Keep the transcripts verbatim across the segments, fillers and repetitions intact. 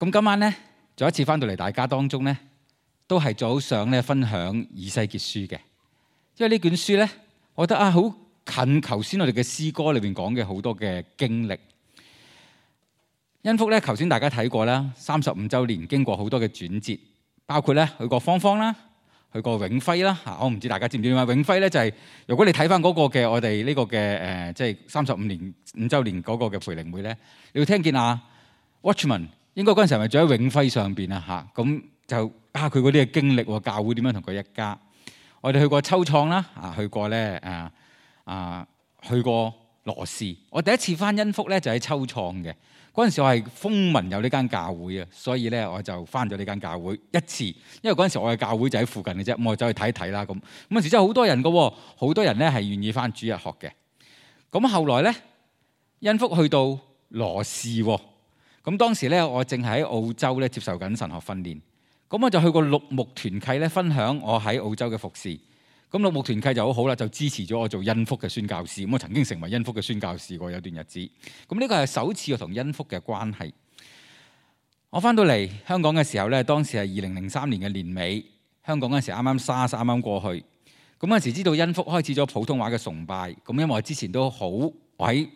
咁今晚咧，再一次翻到嚟大家當中咧，都係早上咧分享以西結書嘅，因為呢卷書咧，我覺得啊好近頭先我哋嘅詩歌裏邊講嘅好多嘅經歷。恩福咧，頭先大家睇過啦，三十五週年經過好多嘅轉折，包括咧去過芳芳啦，去過永輝啦嚇。我唔知大家知唔知點解永輝咧就係、是、如果你睇翻嗰個嘅我哋呢個嘅誒，即係三十五年五週年嗰個嘅培靈會咧，你會聽見啊 Watchman 應該嗰陣時係咪住喺永輝上邊啊嚇？咁就啊佢嗰啲嘅經歷喎，教會點樣同佢一家。我哋去過秋創啦，啊去過咧啊啊去過羅氏。我第一次翻恩福咧就喺秋創嘅。嗰陣時我係風聞有呢間教會啊，所以咧我就翻咗呢間教會一次，因為嗰陣時我嘅教會就喺附近嘅啫，咁我走去睇一睇啦咁。咁陣時真係好多人嘅喎，好多人咧係願意翻主日學嘅。咁後來咧，恩福去到羅氏喎，咁當時咧我正喺澳洲咧接受緊神學訓練，咁我就去過綠牧團契咧分享我喺澳洲嘅服侍。咁綠牧團契就好好啦，就支持咗我做恩福嘅宣教士。咁我曾經成為恩福嘅宣教士過有段日子。咁呢個係首次我同恩福嘅關係。我翻到嚟香港嘅時候咧，當時係二零零三年嘅年尾，香港嗰陣時啱啱 SARS 啱啱過去。咁嗰陣時知道恩福開始咗普通話嘅崇拜。咁因為我之前都好，我喺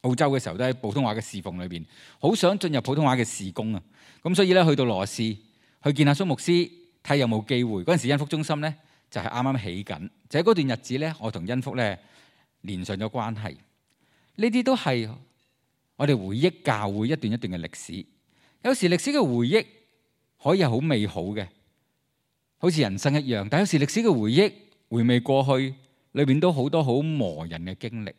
澳洲嘅時候都喺普通話嘅侍奉裏邊，好想進入普通話嘅事工啊。咁所以咧去到羅氏去見阿蘇牧師，睇有冇機會。嗰陣時恩福中心咧，就係啱啱起緊，就喺嗰段日子咧，我同恩福咧連上咗關係。呢啲都係我哋回憶教會一段一段嘅歷史。有時歷史嘅回憶可以係好美好嘅，好似人生一樣。但有時歷史嘅回憶回味過去，裏邊都好多好磨人嘅經歷。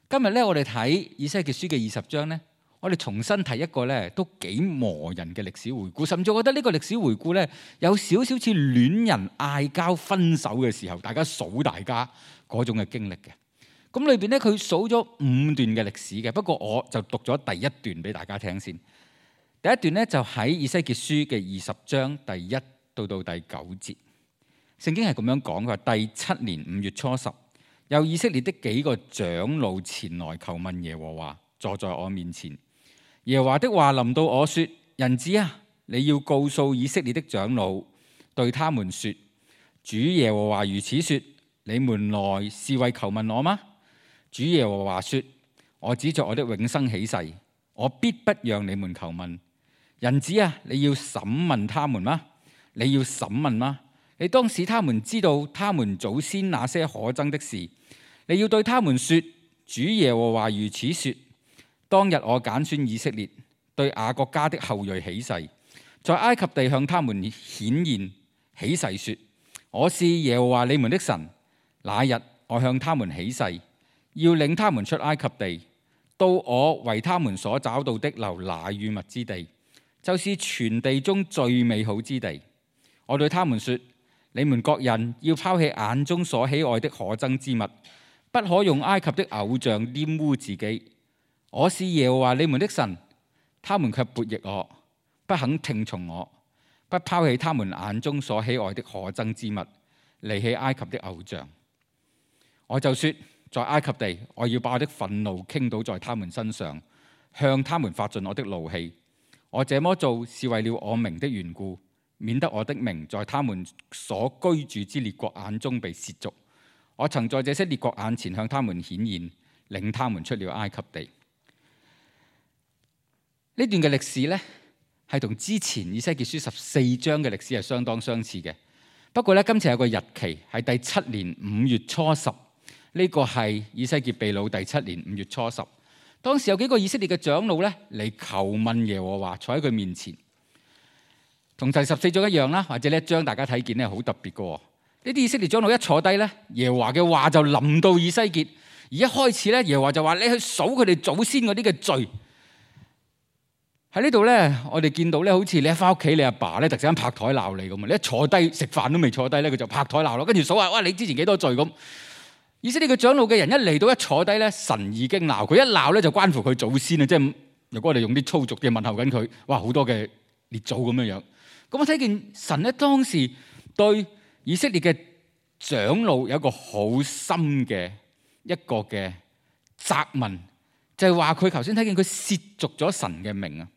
今日咧，我哋睇以西結書嘅二十章咧，我哋重新睇一個咧都幾磨人嘅歷史回顧，甚至我覺得呢個歷史回顧咧有少少似戀人嗌交分手嘅時候，大家數大家嗰種嘅經歷嘅。咁裏邊咧佢數咗五段嘅歷史嘅，不過我就讀咗第一段俾大家聽先。第一段咧就喺以西結書嘅二十章第一到到第九節，聖經係咁樣講，佢話第七年五月初十，有以色列的幾個長老前來求問耶和華，坐在我面前。耶和華的話臨到我說：人子啊，你要告訴以色列的長老，對他們說：主耶和華如此說，你們來是為求問我嗎？主耶和華說：我指着我的永生起誓，我必不讓你們求問。人子啊，你要審問他們嗎？你要審問嗎？你當使他們知道他們祖先那些可憎的事。你要對他們說：主耶和華如此說，當日我揀選以色列，對雅各家的後裔起誓，在埃及地向他們顯現起誓說：我是耶和華你們的神。那日我向他們起誓，要領他們出埃及地，到我為他們所找到的流奶與蜜之地，就是全地中最美好之地。我對他們說：你們各人要拋棄眼中所喜愛的可憎之物，不可用埃及的偶像玷污自己。我是耶和華你們的神。他們卻悖逆我，不肯聽從我，不拋棄他們眼中所喜愛的可憎之物，離棄埃及的偶像。我就說，在埃及地，我要把我的憤怒傾倒在他們身上，向他們發盡我的怒氣。我這麼做是為了我名的緣故，免得我的名在他們所居住之列國眼中被褻瀆。我曾在這些列國眼前向他們顯現，領他們出了埃及地。呢段嘅歷史呢，係同之前以西結書十四章嘅歷史係相當相似嘅。不過呢，今次有個日期係第七年五月初十，呢個係以西結被擄第七年五月初十。當時有幾個以色列嘅長老呢嚟求問耶和華，坐喺佢面前，同第十四章一樣啦，或者呢一章大家睇見呢好特別嘅。呢啲以色列長老一坐低呢，耶和華嘅話就臨到以西結，而一開始呢，耶和華就話：你去數佢哋祖先嗰啲嘅罪。喺呢度咧，我哋見到咧，好似你一翻屋企，你阿爸咧突然間拍台鬧你咁啊！你一坐低食飯都未坐低咧，佢就拍台鬧咯，跟住數下，哇！你之前幾多罪咁？意思呢個長老嘅人一嚟到一坐低咧，神已經鬧佢，一鬧咧就關乎佢祖先啊！即係如果我哋用啲粗俗嘅問候緊佢，哇！好多嘅列祖咁樣樣。咁我睇見神咧當時對以色列嘅長老有一個好深嘅一個嘅責問，就係話佢頭先睇見佢褻瀆咗神嘅名啊！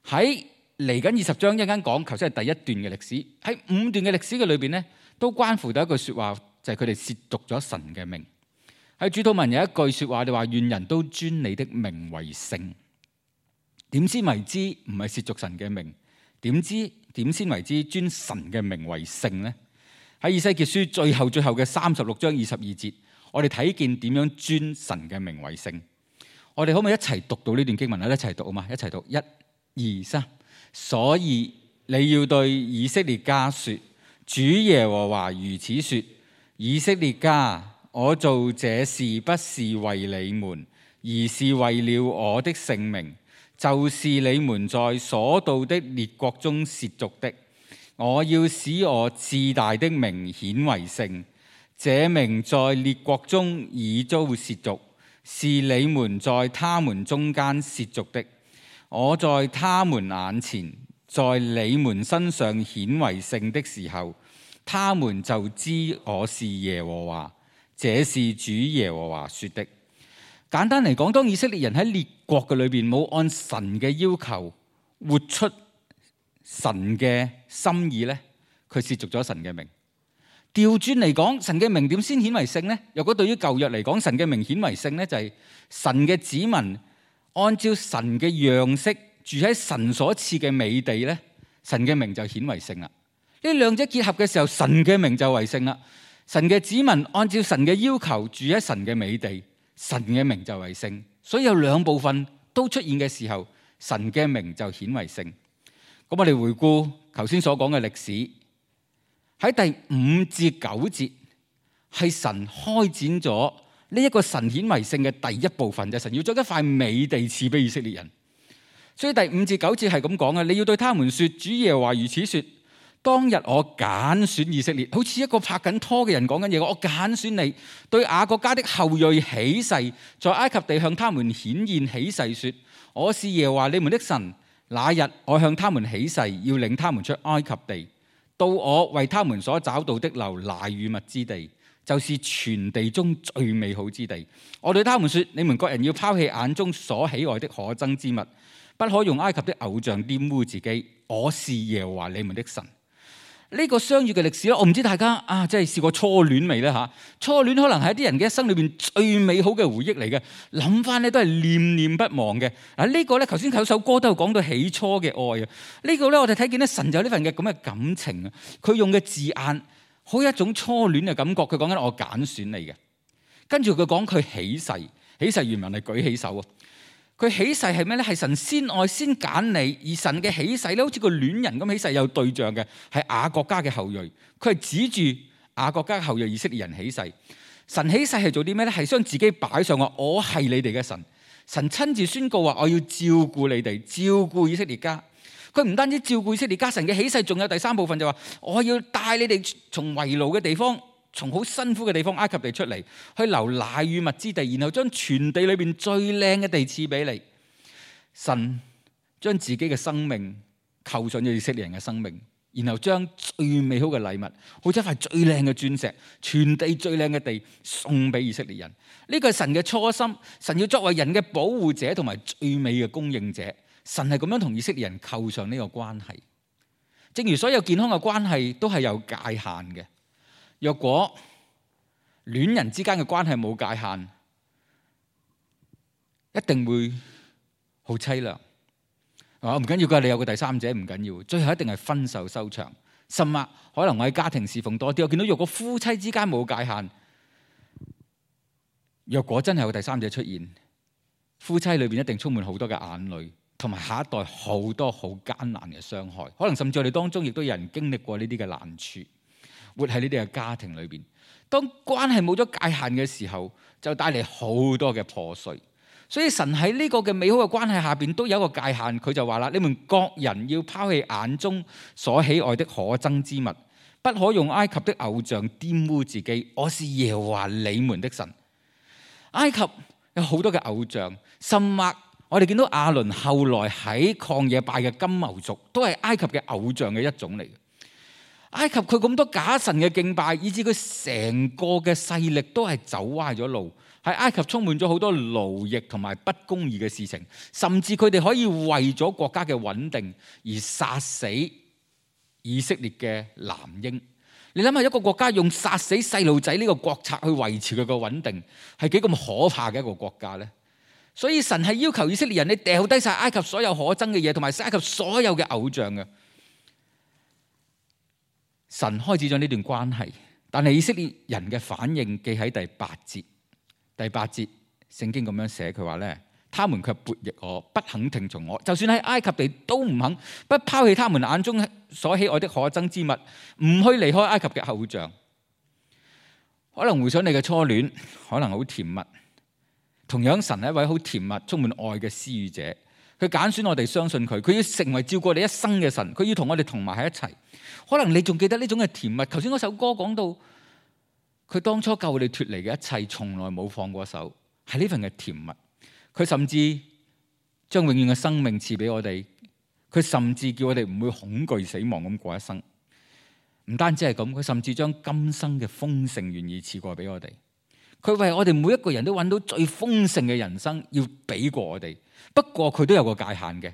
喺嚟緊二十章一陣間講，頭先係第一段嘅歷史，喺五段嘅歷史嘅裏邊咧，都關乎到一句説話，就係佢哋褻瀆咗神嘅名。喺主禱文有一句説話，你話願人都尊你的名為聖。點先為之唔係褻瀆神嘅名？點知點先為之尊神嘅名為聖呢？喺以西結書最後最後嘅三十六章二十二節，我哋睇見點樣尊神嘅名為聖。我哋可唔可以一齊讀到呢段經文啊？一齊讀啊嘛！一齊讀，一、二、三。所以你要對以色列家說：主耶和華如此說，以色列家，我做這事不是為你們，而是為了我的聖名，就是你們在所到的列國中褻瀆的。我要使我至大的名顯為聖，這名在列國中已遭褻瀆，是你們在他們中間褻瀆的。我在他們眼前，在你們身上顯為聖的時候，他們就知我是耶和華，這是主耶和華說的。簡單嚟講，當以色列人喺列國嘅裏邊冇按神嘅要求活出神嘅心意咧，佢褻瀆咗神嘅名。調轉嚟講，神嘅名點先顯為聖呢？如果對於舊約嚟講，神嘅名顯為聖呢，就係神嘅子民按照神嘅樣式住喺神所賜嘅美地咧，神嘅名就顯為聖啦。呢兩者結合嘅時候，神嘅名就為聖啦。神嘅子民按照神嘅要求住喺神嘅美地，神嘅名就為聖。所以有兩部分都出現嘅時候，神嘅名就顯為聖。咁我哋回顧頭先所講嘅歷史，喺第五至九節係神開展咗呢一個神顯為聖嘅第一部分，就係神要將一塊美地賜俾以色列人。所以第五至九節係咁講嘅，你要對他們說：主耶和華如此說，當日我揀選以色列，好似一個拍緊拖嘅人講緊嘢，我揀選你，對雅各家的後裔起誓，在埃及地向他們顯現起誓說：我是耶和華你們的神。那日我向他們起誓，要領他們出埃及地，到我為他們所找到的流奶與蜜之地，就是全地中最美好之地。我對他們說：你們各人要拋棄眼中所喜愛的可憎之物，不可用埃及的偶像玷污自己。我是耶和華你們的神。呢、這個相遇嘅歷史咧，我唔知大家啊，即係試過初戀未咧嚇？初戀可能係一啲人嘅一生裏邊最美好嘅回憶嚟嘅，諗翻咧都係念念不忘嘅。啊，呢個咧頭先有首歌都有講到起初嘅愛啊。呢、這個咧我哋睇見咧神就有呢份嘅咁嘅感情啊。佢用嘅字眼好有一種初戀嘅感覺。佢講緊我揀選你嘅，跟住佢講佢起誓，起誓原文係舉起手啊。佢起誓係咩咧？係神先愛先揀你，而神嘅起誓咧，好似個戀人咁起誓，有對象嘅係雅各家嘅後裔。佢係指住雅各家嘅後裔以色列人起誓。神起誓係做啲咩咧？係將自己擺上話，我係你哋嘅神。神親自宣告話，我要照顧你哋，照顧以色列家。佢唔單止照顧以色列家，神嘅起誓仲有第三部分，就話我要帶你哋從為奴嘅地方，從好辛苦嘅地方埃及地出嚟，去流奶與蜜之地，然後將全地裏邊最靚嘅地賜俾你。神將自己嘅生命扣上咗以色列人嘅生命，然後將最美好嘅禮物，好似一塊最靚嘅鑽石，全地最靚嘅地送俾以色列人。呢個係神嘅初心，神要作為人嘅保護者同埋最美嘅供應者。神係咁樣同以色列人扣上呢個關係。正如所有健康嘅關係都係有界限嘅。若果戀人之間嘅關係冇界限，一定會好淒涼。啊，唔緊要㗎，你有個第三者唔緊要，最後一定係分手收場。甚至可能我喺家庭侍奉多啲，我見到若果夫妻之間冇界限，若果真係有第三者出現，夫妻裏邊一定充滿好多嘅眼淚，同埋下一代好多好艱難嘅傷害。可能甚至我哋當中亦都有人經歷過呢啲嘅難處。活喺呢啲嘅家庭裏邊，當關係冇咗界限嘅時候，就帶嚟好多嘅破碎。所以神喺呢個嘅美好嘅關係下邊都有一個界限，佢就話啦：你們各人要拋棄眼中所喜愛的可憎之物，不可用埃及的偶像玷污自己。我是耶和華你們的神。埃及有好多嘅偶像，甚或我哋見到亞倫後來喺曠野拜嘅金牛犢，都係埃及嘅偶像嘅一種嚟嘅。埃及佢咁多假神嘅敬拜，以致佢成個嘅勢力都係走歪咗路，喺埃及充滿咗好多奴役同埋不公義嘅事情，甚至佢哋可以為咗國家嘅穩定而殺死以色列嘅男嬰。你諗下，一個國家用殺死細路仔呢個國策去維持佢嘅穩定，係幾咁可怕嘅一個國家呢？所以神係要求以色列人，你掉低晒埃及所有可憎嘅嘢，同埋埃及所有嘅偶像嘅。神開始咗呢段關係，但係以色列人嘅反應記喺第八節。第八節聖經咁樣寫，佢話咧，他們卻悖逆我，不肯聽從我，就算喺埃及地都唔肯，不拋棄他們眼中所喜愛的可憎之物，唔去離開埃及嘅偶像。可能回想你嘅初戀，可能好甜蜜。同樣神係一位好甜蜜、充滿愛嘅施予者，佢揀選我哋相信佢，佢要成為照顧我哋一生嘅神，佢要同我哋同埋喺一齊。可能你仲記得呢種嘅甜蜜？頭先嗰首歌講到，佢當初救我哋脫離嘅一切，從來冇放過手，係呢份嘅甜蜜。佢甚至將永遠嘅生命賜俾我哋，佢甚至叫我哋唔會恐懼死亡咁過一生。唔單止係咁，佢甚至將今生嘅豐盛願意賜過俾我哋。佢為我哋每一個人都揾到最豐盛嘅人生，要俾過我哋。不過佢都有個界限嘅。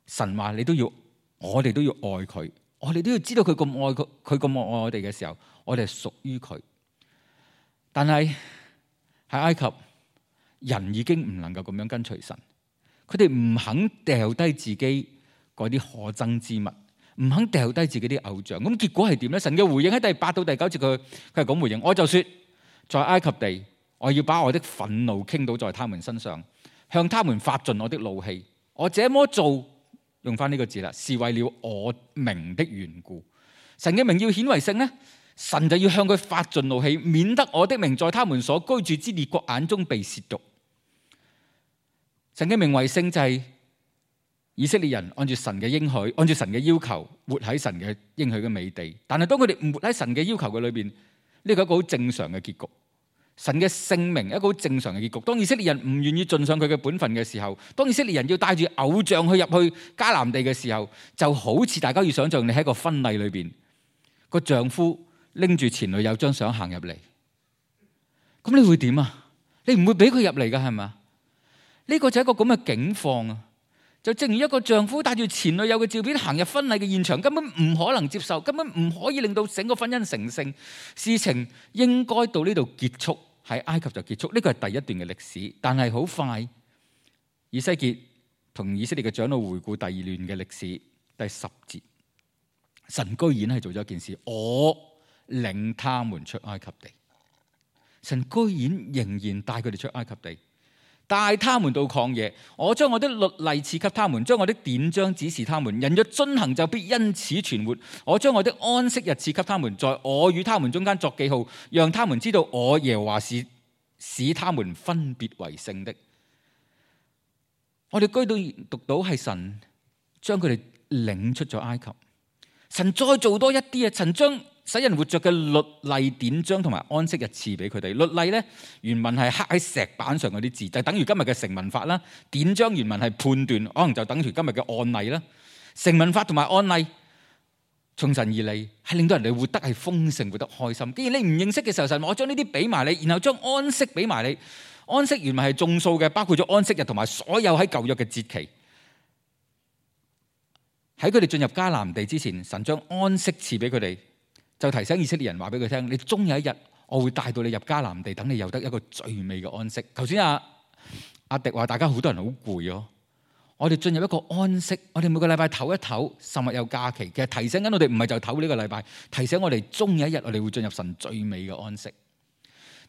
神話你都要，我哋都要愛佢，我哋都要知道佢咁愛佢，佢咁愛我哋嘅時候，我哋係屬於佢。但係喺埃及，人已經唔能夠咁樣跟隨神，佢哋唔肯掉低自己嗰啲可憎之物，唔肯掉低自己啲偶像。咁結果係點咧？神嘅回應喺第八到第九節，佢佢係咁回應：我就說，在埃及地，我要把我的憤怒傾倒在他們身上，向他們發盡我的怒氣。我這麼做，用翻呢個字啦，是為了我名的緣故。神嘅名要顯為聖呢，神就要向佢發盡怒氣，免得我的名在他們所居住之列國眼中被褻瀆。神嘅名為聖就係以色列人按住神嘅應許，按住神嘅要求，活喺神嘅應許嘅美地。但係當佢哋唔活喺神嘅要求嘅裏邊，呢個係一個好正常嘅結局。神嘅聖名一個好正常嘅結局。當以色列人唔願意盡上佢嘅本分嘅時候，當以色列人要帶住偶像去入去迦南地嘅時候，就好似大家要想象你喺一個婚禮裏邊，個丈夫拎住前女友張相行入嚟，咁你會點啊？你唔會俾佢入嚟噶，係咪？呢個就係一個咁嘅境況啊！就正如一個丈夫帶住前女友嘅照片行入婚禮嘅現場，根本唔可能接受，根本唔可以令到整個婚姻成聖。事情應該到呢度結束，喺埃及就結束。呢個係第一段嘅歷史，但係好快，以西結同以色列嘅長老回顧第二段嘅歷史，第十節，神居然係做咗一件事，我領他們出埃及地。神居然仍然帶佢哋出埃及地。帶他們到曠野，我將我的律例賜給他們，將我的典章指示他們。人若遵行，就必因此存活。我將我的安息日賜給他們，在我與他們中間作記號，讓他們知道我耶和華是使他們分別為聖的。我哋居到讀到係神將佢哋領出咗埃及，神再做多一啲啊！神將使人活着嘅律例典章同埋安息日賜俾佢哋。律例咧原文係刻喺石板上嗰啲字，就等於今日嘅成文法啦。典章原文係判斷，可能就等於今日嘅案例啦。成文法同埋案例從神而嚟，係令到人哋活得係豐盛，活得開心。既然你唔認識嘅時候，神話我將呢啲俾埋你，然後將安息俾埋你。安息原文係眾數嘅，包括咗安息日同埋所有喺舊約嘅節期。喺佢哋進入迦南地之前，神將安息賜俾佢哋。就提醒以色列人話俾佢聽，你終有一日我會帶到你入迦南地，等你有得一個最美嘅安息。頭先阿阿迪話大家好多人好攰咯，我哋進入一個安息，我哋每個禮拜唞一唞，甚至有假期。其實提醒緊我哋唔係就唞呢個禮拜，提醒我哋終有一日我哋會進入神最美嘅安息。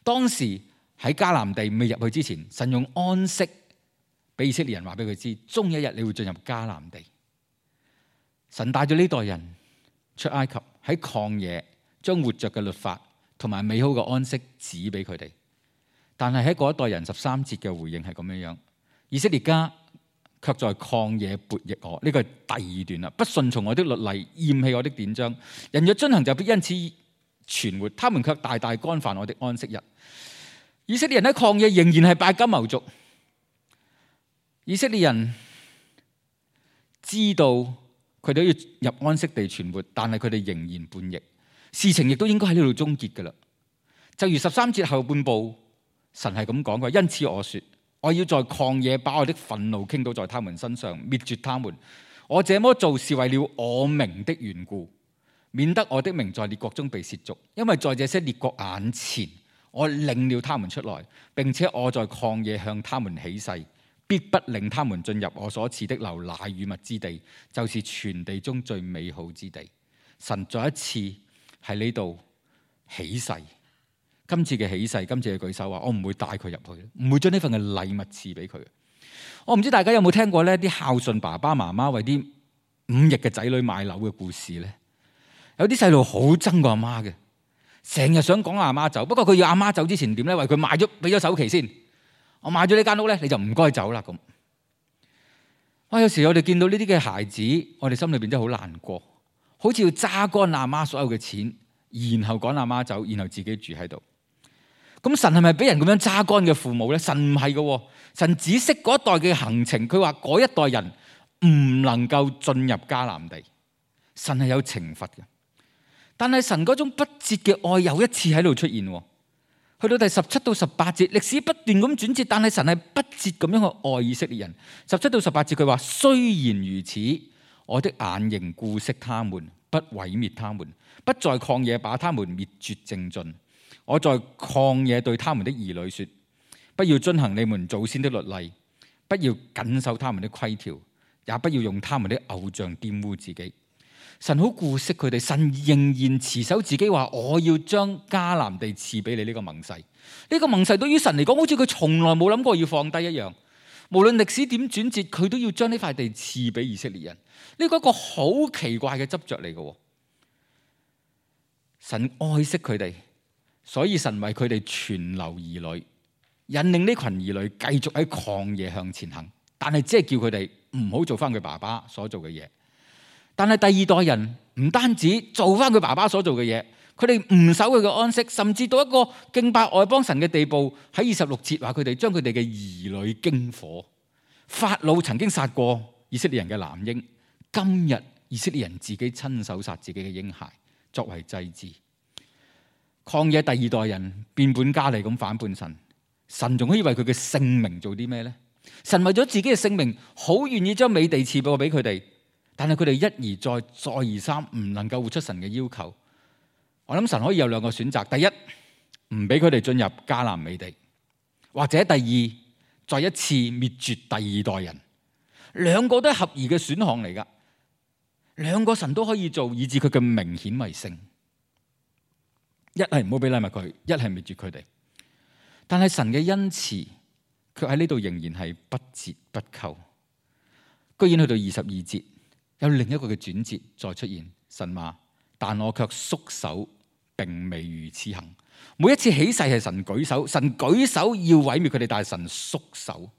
當時喺迦南地未入去之前，神用安息俾以色列人話俾佢知，終有一日你會進入迦南地。神帶咗呢代人出埃及，喺曠野將活着嘅律法同埋美好嘅安息指俾佢哋，但係喺嗰一代人十三節嘅回應係咁樣樣，以色列家卻在曠野悖逆我。呢個係第二段啦，不順從我的律例，厭棄我的典章。人若遵行，就必因此存活。他們卻大大干犯我的安息日。以色列人喺曠野仍然係拜金牛犢。以色列人知道佢哋都要入安息地存活，但係佢哋仍然叛逆，事情亦都應該喺呢度終結噶啦。就如十三節後半部神係咁講嘅，因此我說，我要在曠野把我的憤怒傾倒在他們身上，滅絕他們。我這麼做是為了我名的緣故，免得我的名在列國中被褻瀆。因為在這些列國眼前，我領了他們出來，並且我在曠野向他們起誓，必不令他們進入我所賜的流奶與蜜之地，就是全地中最美好之地。神再一次喺呢度起誓，今次嘅起誓，今次嘅舉手話，我唔會帶佢入去，唔會將呢份嘅禮物賜俾佢。我唔知大家有冇聽過呢啲孝順爸爸媽媽為啲五億嘅仔女買樓嘅故事呢？有啲細路好憎個阿媽嘅，成日想趕阿媽走，不過佢要阿媽走之前點呢？為佢買咗俾咗首期先，我買咗呢間屋呢，你就唔該走啦咁。哇！有時我哋見到呢啲嘅孩子，我哋心裏邊真係好難過，好似要揸乾阿媽所有嘅錢，然後趕阿媽走，然後自己住喺度。咁神係咪俾人咁樣揸乾嘅父母咧？神唔係嘅，神只識嗰一代嘅行程。佢話嗰一代人唔能夠進入迦南地，神係有懲罰嘅。但係神嗰種不折嘅愛又一次喺度出現。去到第十七到十八節，歷史不斷咁轉折，但係神係不折咁樣去愛以色列人。十七到十八節佢話：雖然如此，我的眼仍顧惜他們，不毀滅他們，不在曠野把他們滅絕淨盡。我在曠野對他們的兒女說：不要遵行你們祖先的律例，不要謹守他們的規條，也不要用他們的偶像玷污自己。神好顧惜佢哋，神仍然持守自己話：我要將迦南地賜俾你呢個盟誓。呢個盟誓對於神嚟講，好似佢從來冇諗過要放低一樣。無論歷史點轉折，佢都要將呢塊地賜俾以色列人。呢個一個好奇怪嘅執着嚟嘅。神愛惜佢哋。所以神為佢哋存留兒女，引領呢群兒女繼續喺曠野向前行，但係只係叫佢哋唔好做翻佢爸爸所做嘅嘢。但係第二代人唔單止做翻佢爸爸所做嘅嘢，佢哋唔守佢嘅安息，甚至到一個敬拜外邦神嘅地步。喺二十六節話佢哋將佢哋嘅兒女經火。法老曾經殺過以色列人嘅男嬰，今日以色列人自己親手殺自己嘅嬰孩作為祭祀。曠野第二代人變本加厲咁反叛神，神仲可以為佢嘅性命做啲咩呢？神為咗自己嘅性命，好願意將美地賜過俾佢哋，但係佢哋一而再，再而三唔能夠活出神嘅要求。我諗神可以有兩個選擇：第一，唔俾佢哋進入迦南美地；或者第二，再一次滅絕第二代人。兩個都係合宜嘅選項嚟噶，兩個神都可以做，以致佢嘅名顯為聖。一係唔好俾禮物佢，一係滅絕佢哋。但係神嘅恩慈，卻喺呢度仍然係不折不扣。居然去到二十二節，有另一個嘅轉折再出現。神話：但我卻縮手，並未如此行。每一次起誓係神舉手，神舉手要毀滅佢哋，但係神縮手。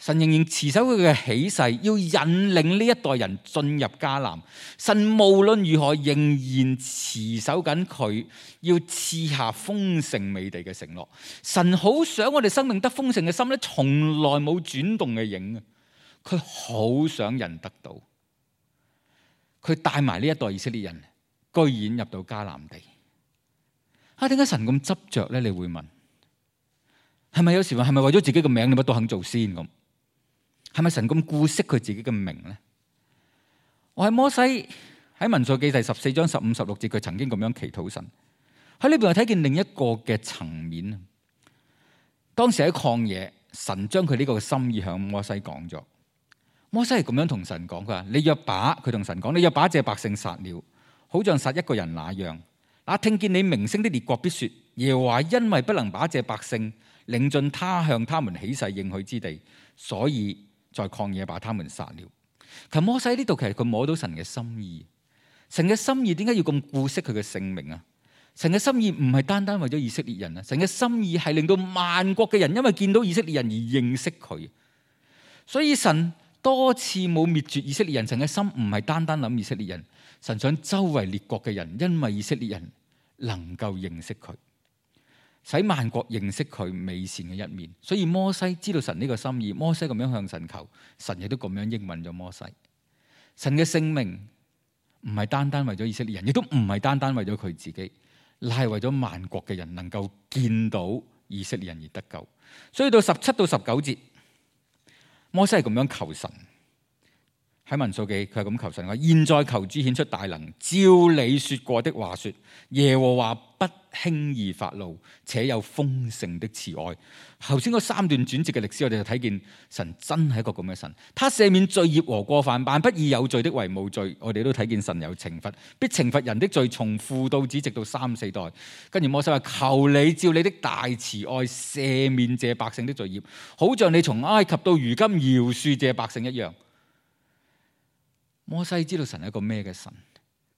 神仍然持守佢嘅起誓，要引領呢一代人進入迦南。神無論如何仍然持守緊佢要賜下豐盛美地嘅承諾。神好想我哋生命得豐盛嘅心咧，從來冇轉動嘅影啊！佢好想人得到，佢帶埋呢一代以色列人，居然入到迦南地。啊，點解神咁執着咧？你會問，係咪有時話係咪為咗自己嘅名，你乜都肯做先咁？係咪神咁顧惜佢自己嘅名呢？我喺摩西喺民數記第十四章十五十六節，佢曾經咁樣祈禱神。喺呢邊我睇見另一個嘅層面。當時喺曠野，神將佢呢個心意向摩西講咗。摩西係咁樣同神講，佢話：你若把佢同神講，你若把這百姓殺了，好像殺一個人那樣。那聽見你名聲的列國必說：耶和華因為不能把這百姓領進他向他們起誓應許之地，所以在曠野把他們殺了。其實摩西呢度其實佢摸到神嘅心意，神嘅心意點解要咁顧惜佢嘅性命啊？神嘅心意唔係單單為咗以色列人啊，神嘅心意係令到萬國嘅人因為見到以色列人而認識佢。所以神多次冇滅絕以色列人，神嘅心唔係單單諗以色列人，神想周圍列國嘅人因為以色列人能夠認識佢，使萬國認識佢美善嘅一面。所以摩西知道神呢個心意，摩西咁樣向神求，神亦都咁樣應允咗摩西。神嘅性命唔係單單為咗以色列人，亦都唔係單單為咗佢自己，乃係為咗萬國嘅人能夠見到以色列人而得救。所以到十七到十九節，摩西係咁樣求神。喺民數記，佢係咁求神話：現在求主顯出大能，照你說過的話說，耶和華不輕易發怒，且有豐盛的慈愛。頭先嗰三段轉折嘅歷史，我哋就睇見神真係一個咁嘅神。他赦免罪孽和過犯，但不以有罪的為無罪。我哋都睇見神有懲罰，必懲罰人的罪，從父到子，直到三四代。跟住摩西話：求你照你的大慈愛赦免這百姓的罪孽，好像你從埃及到如今饒恕這百姓一樣。摩西知道神係一個咩嘅神？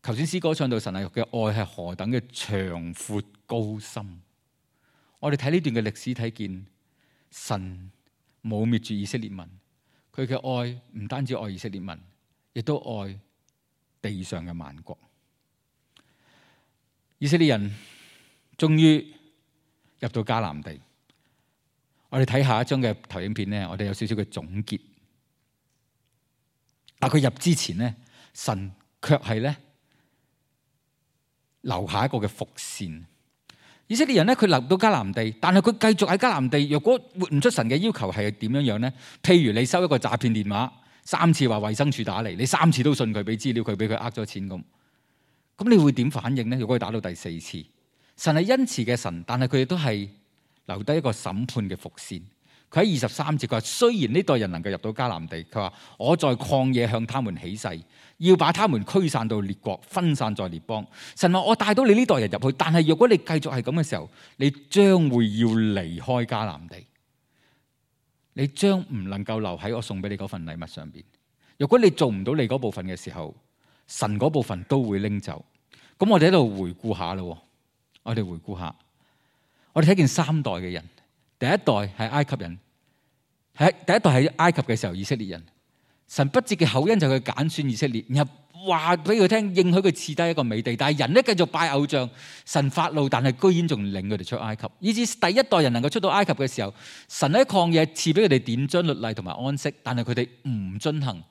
頭先詩歌唱到神嘅愛係何等嘅長闊高深。我哋睇呢段嘅歷史，睇見神冇滅絕以色列民，佢嘅愛唔單止愛以色列民，亦都愛地上嘅萬國。以色列人終於入到迦南地。我哋睇下一張嘅投影片呢，我哋有少少嘅總結。但佢入之前咧，神卻係咧留下一個嘅伏線。以色列人咧，佢嚟到迦南地，但係佢繼續喺迦南地。若果活唔出神嘅要求係點樣樣咧？譬如你收一個詐騙電話，三次話衛生署打嚟，你三次都信佢，俾資料佢，俾佢呃咗錢咁，咁你會點反應咧？如果佢打到第四次，神係恩慈嘅神，但係佢亦都係留低一個審判嘅伏線。佢喺二十三節，佢話：雖然呢代人能夠入到迦南地，佢話我在曠野向他們起誓，要把他們驅散到列國，分散在列邦。神話我帶到你呢代人入去，但係若果你繼續係咁嘅時候，你將會要離開迦南地，你將唔能夠留喺我送俾你嗰份禮物上邊。若果你做唔到你嗰部分嘅時候，神嗰部分都會拎走。咁我哋喺度回顧下咯，我哋回顧下，我哋睇見三代嘅人。第一代係埃及人，喺第一代喺埃及嘅時候，以色列人，神不折嘅厚恩就佢揀選以色列，然後話俾佢聽，應許佢賜低一個美地，但係人咧繼續拜偶像，神發怒，但係居然仲領佢哋出埃及，以至第一代人能夠出到埃及嘅時候，神喺曠野賜俾佢哋典章律例同埋安息，但係佢哋唔遵行，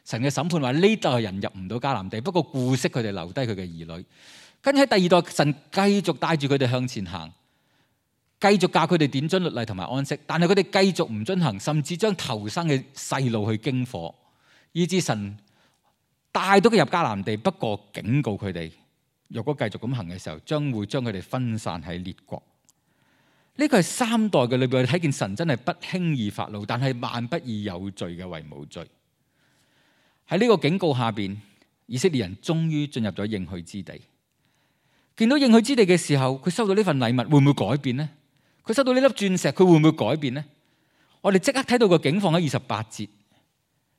神嘅審判話呢代人入唔到迦南地，不過顧惜佢哋留低佢嘅兒女，跟住喺第二代，神繼續帶住佢哋向前行。繼續教佢哋典章律例同埋安息，但係佢哋繼續唔遵行，甚至將頭生嘅細路去經火，以致神帶到佢入迦南地，不過警告佢哋，若果繼續咁行嘅時候，將會將佢哋分散喺列國。呢個係三代嘅裏邊，我哋睇見神真係不輕易發怒，但係萬不以有罪嘅為無罪。喺呢個警告下邊，以色列人終於進入咗應許之地。見到應許之地嘅時候，佢收到呢份禮物，會唔會改變呢？佢收到呢粒鑽石，佢會唔會改變呢？我哋即刻睇到個景況喺二十八節。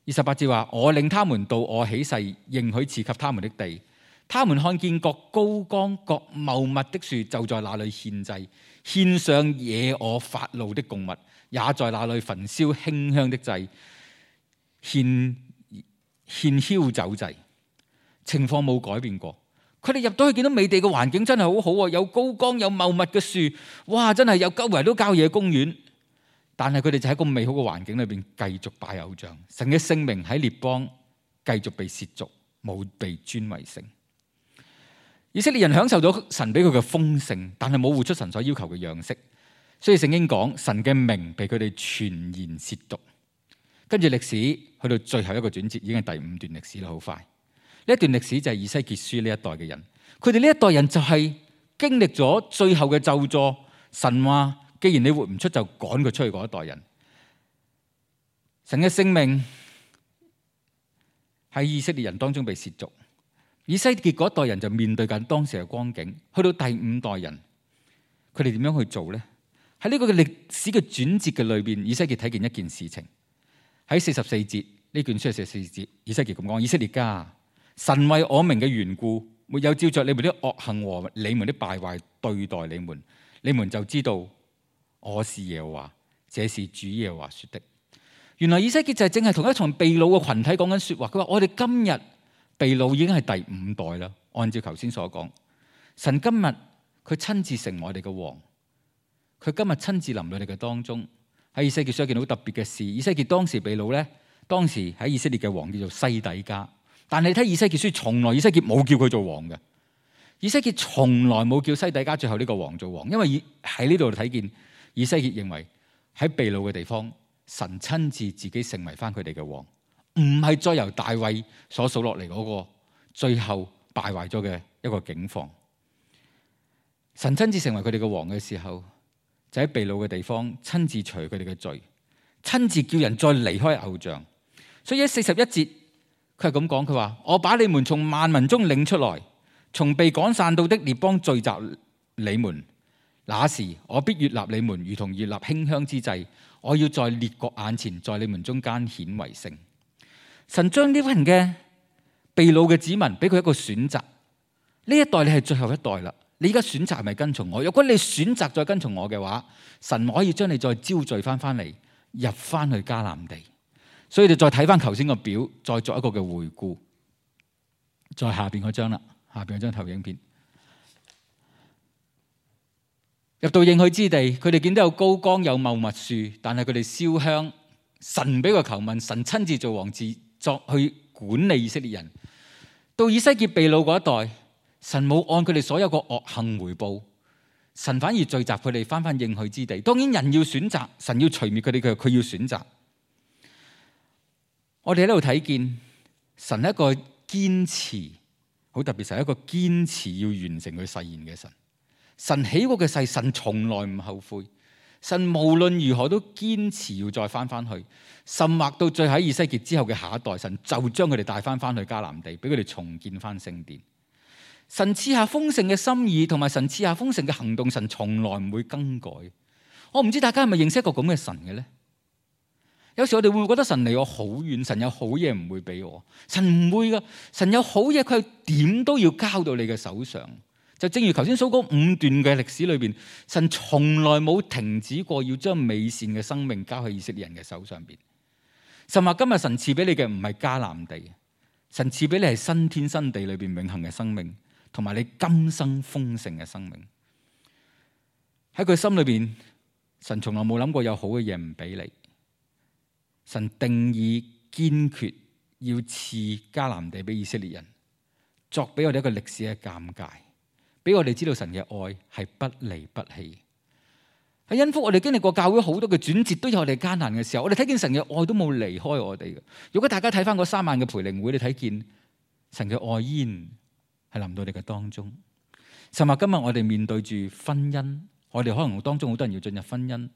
二十八節話：我領他們到我起誓應許賜給他們的地，他們看見各高岡、各茂密的樹，就在那裏獻祭，獻上惹我發怒的供物，也在那裏焚燒馨香的祭，獻獻澆酒祭。情況冇改變過。佢哋入到去見到美地嘅環境真係好好喎，有高崗有茂密嘅樹，哇！真係有周圍都郊野公園。但係佢哋就喺個美好嘅環境裏邊繼續拜偶像，神嘅聖名喺列邦繼續被褻瀆，冇被尊為聖。以色列人享受咗神俾佢嘅豐盛，但係冇活出神所要求嘅樣式，所以聖經講神嘅名被佢哋全然褻瀆。跟住歷史去到最後一個轉折，已經係第五段歷史啦，好快。呢一段歷史就係以西結書呢一代嘅人，佢哋呢一代人就係經歷咗最後嘅咒詛。神話既然你活唔出，就趕佢出去嗰一代人。神嘅聖名喺以色列人當中被褻瀆。以西結嗰一代人就面對緊當時嘅光景。去到第五代人，佢哋點樣去做呢？喺呢個嘅歷史嘅轉折嘅裏邊，以西結睇見一件事情。喺四十四節，呢卷書係四十四節，以西結咁講：以色列家，神為我名嘅緣故，沒有照着你們的惡行和你們的敗壞對待你們，你們就知道我是耶和華，這是主耶和華說的。原來以西結就係正係同一場被擄嘅群體講緊說話。佢話我哋今日被擄已經係第五代啦。按照頭先所講，神今日佢親自成我哋嘅王，佢今日親自臨到你嘅當中。喺以西結書一件好特別嘅事，以西結當時被擄咧，當時喺以色列嘅王叫做西底家。但係你睇以西結書，從來以西結冇叫佢做王嘅。以西結從來冇叫西底家最後呢個王做王，因為喺呢度睇見以西結認為喺被擄嘅地方，神親自自己成為翻佢哋嘅王，唔係再由大衛所數落嚟嗰個最後敗壞咗嘅一個境況。神親自成為佢哋嘅王嘅時候，就喺被擄嘅地方親自除佢哋嘅罪，親自叫人再離開偶像。所以喺四十一節佢係咁講，佢話：我把你們從萬民中領出來，從被趕散到的列邦聚集你們，那時我必悅納你們，如同悅納馨香之祭。我要在列國眼前，在你們中間顯為聖。神將呢群嘅被擄嘅子民俾佢一個選擇，呢一代你係最後一代啦。你而家選擇係咪跟從我？如果你選擇再跟從我嘅話，神可以將你再招聚翻翻嚟，入翻去迦南地。所以你再睇翻頭先個表，再作一個嘅回顧。再下邊嗰張啦，下邊嗰張投影片。入到應許之地，佢哋見到有高岡有茂密樹，但係佢哋燒香。神俾個求問，神親自做王，自作去管理以色列人。到以西結被擄嗰一代，神冇按佢哋所有個惡行回報，神反而聚集佢哋翻翻應許之地。當然人要選擇，神要除滅佢哋嘅，佢要選擇。我哋喺度睇見神係一個堅持，好特別，係一個堅持要完成佢誓言嘅神。神起過嘅誓，神從來唔後悔。神無論如何都堅持要再翻翻去，甚或到最後喺以西結之後嘅下一代，神就將佢哋帶翻翻去迦南地，俾佢哋重建翻聖殿。神賜下豐盛嘅心意，同埋神賜下豐盛嘅行動，神從來唔會更改。我唔知大家係咪認識一個咁嘅神嘅咧？有時我哋會唔會覺得神離我好遠，神有好嘢唔會俾我？神唔會噶，神有好嘢，佢係點都要交到你嘅手上。就正如頭先數嗰五段嘅歷史裏邊，神從來冇停止過要將美善嘅生命交喺以色列人嘅手上邊。甚至今日神賜俾你嘅唔係迦南地，神賜俾你係新天新地裏邊永恆嘅生命，同埋你今生豐盛嘅生命。喺佢心裏邊，神從來冇諗過有好嘅嘢唔俾你。神定義堅決要賜迦南地俾以色列人，作俾我哋一個歷史嘅鑑戒。俾我哋知道神嘅愛係不離不棄。喺恩福，我哋經歷過教會好多嘅轉折，都有我哋艱難嘅時候。我哋睇見神嘅愛都冇離開我哋嘅。如果大家睇翻嗰三晚嘅培靈會，你睇見神嘅愛依然係臨到我哋嘅當中。甚至今日我哋面對住婚姻，我哋可能當中好多人要進入婚姻。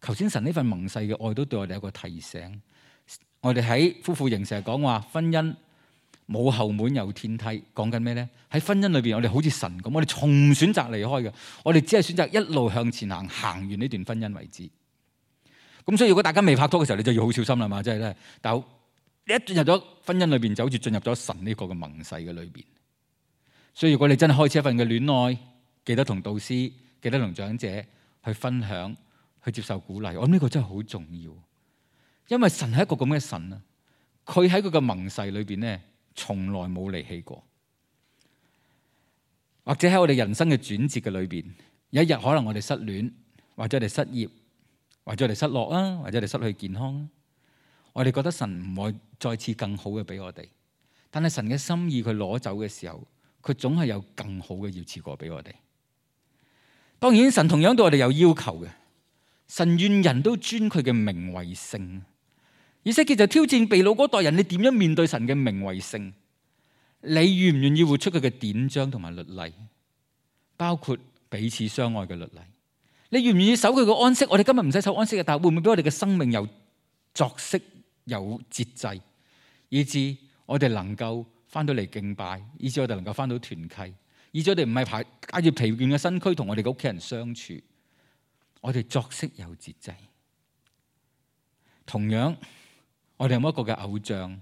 求先神呢份盟誓嘅愛都對我哋有個提醒。我哋喺夫婦營成日講話婚姻冇後門有天梯，講緊咩咧？喺婚姻裏邊，我哋好似神咁，我哋從唔選擇離開嘅，我哋只係選擇一路向前行，行完呢段婚姻為止。咁所以如果大家未拍拖嘅時候，你就要好小心啦嘛，即係咧。但係你一進入咗婚姻裏邊，就好似進入咗神呢個嘅盟誓嘅裏邊。所以如果你真係開始一份嘅戀愛，記得同導師、記得同長者去分享、去接受鼓勵。我諗呢個真係好重要，因為神係一個咁嘅神啊，佢喺佢嘅盟誓裏邊咧，從來冇離棄過。或者喺我哋人生嘅轉折嘅裏邊，有一日可能我哋失戀，或者我哋失業，或者我哋失落啊，或者我哋失去健康啊，我哋覺得神唔會再次更好嘅俾我哋。但係神嘅心意佢攞走嘅時候，佢總係有更好嘅要賜過俾我哋。當然神同樣對我哋有要求嘅，神願人都尊佢嘅名為聖。以西結就挑戰被擄嗰代人，你點樣面對神嘅名為聖？你願唔願意活出佢嘅典章同埋律例，包括彼此相愛嘅律例？你願唔願意守佢嘅安息？我哋今日唔使守安息嘅，但係會唔會俾我哋嘅生命有作息、有節制，以致我哋能夠翻到嚟敬拜，以致我哋能夠翻到團契，以致我哋唔係排帶住疲倦嘅身軀同我哋嘅屋企人相處，我哋作息有節制。同樣，我哋有冇一個嘅偶像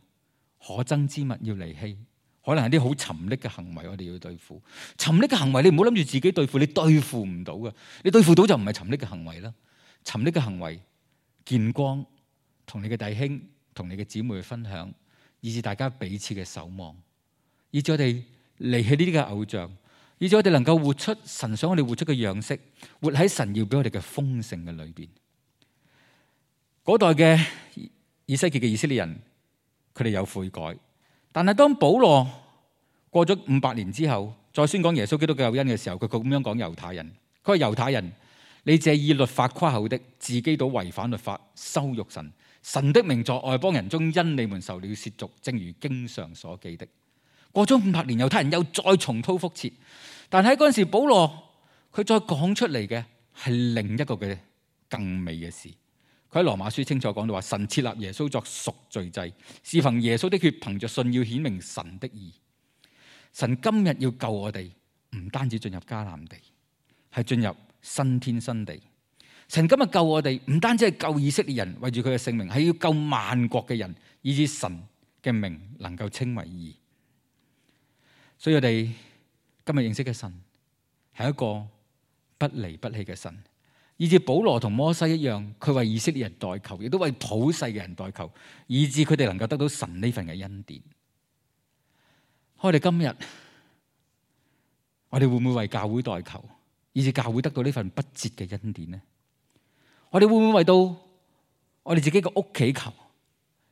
可憎之物要離棄？可能係啲好沉溺嘅行為，我哋要對付。沉溺嘅行為，你唔好諗住自己對付，你對付唔到嘅。你對付到就唔係沉溺嘅行為啦。沉溺嘅行為，見光，同你嘅弟兄、同你嘅姊妹去分享，以致大家彼此嘅守望，以致我哋離棄呢啲嘅偶像，以致我哋能夠活出神想我哋活出嘅樣式，活喺神要俾我哋嘅豐盛嘅裏邊。嗰代嘅以西結嘅以色列人，佢哋有悔改。但係當保羅過咗五百年之後，再宣講耶穌基督嘅救恩嘅時候，佢咁樣講猶太人，佢話猶太人，你這以律法誇口的，自己倒違反律法，羞辱神。神的名在外邦人中因你們受了褻瀆，正如經上所記的。過咗五百年，猶太人又再重蹈覆轍，但喺嗰陣時，保羅佢再講出嚟嘅係另一個嘅更美嘅事。佢喺羅馬書清楚講到話，神設立耶穌作贖罪祭，是憑耶穌的血，憑着信要顯明神的義。神今日要救我哋，唔單止進入迦南地，係進入新天新地。神今日救我哋，唔單止係救以色列人，為住佢嘅性命，係要救萬國嘅人，以致神嘅名能夠稱為義。所以我哋今日認識嘅神係一個不離不棄嘅神，以致保羅同摩西一樣，佢為以色列人代求，亦都為普世嘅人代求，以致佢哋能夠得到神呢份嘅恩典。我哋今日，我哋會唔會為教會代求，以致教會得到呢份不折嘅恩典呢？我哋會唔會為到我哋自己嘅屋企求，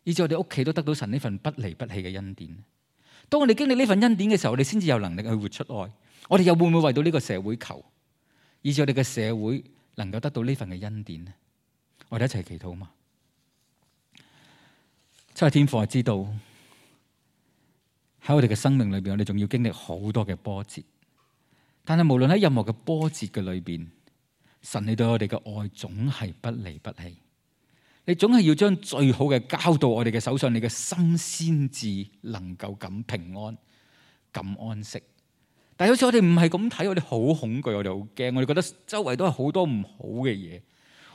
以致我哋屋企都得到神呢份不離不棄嘅恩典？當我哋經歷呢份恩典嘅時候，我哋先至有能力去活出愛。我哋又會唔會為到呢個社會求，以致我哋嘅社會能夠得到呢份嘅恩典呢？我哋一齊祈禱嘛。七日天父，我知道喺我哋嘅生命裏邊，我哋仲要經歷好多嘅波折。但係無論喺任何嘅波折嘅裏邊，神你對我哋嘅愛總係不離不棄。你總係要將最好嘅交到我哋嘅手上，你嘅心先至能夠咁平安、咁安息。但係好似我哋唔係咁睇，我哋好恐懼，我哋好驚，我哋覺得周圍都係好多唔好嘅嘢。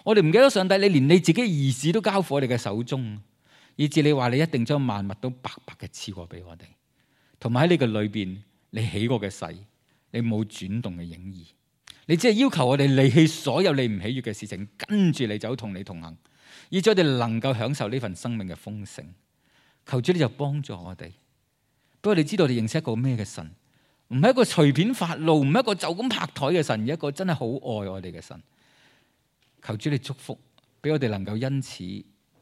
我哋唔記得上帝，你連你自己兒子都交付我哋嘅手中，以至你話你一定將萬物都白白嘅賜過俾我哋。同埋喺你嘅裏邊，你起過嘅誓，你冇轉動嘅影兒。你只係要求我哋離棄所有你唔喜悅嘅事情，跟住你走，同你同行，以致我哋能夠享受呢份生命嘅豐盛。求主你就幫助我哋，俾我哋知道你認識一個咩嘅神，唔係一個隨便發怒，唔係一個就咁拍台嘅神，而一個真係好愛我哋嘅神。求主你祝福，俾我哋能夠因此，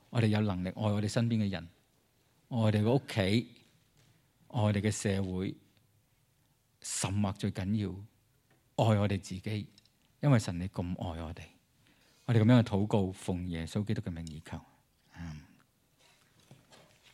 我哋有能力愛我哋身邊嘅人，愛我哋嘅屋企，愛我哋嘅社會，甚或最緊要，愛我哋自己，因為神你咁愛我哋，我哋咁樣嘅禱告，奉耶穌基督嘅名而求。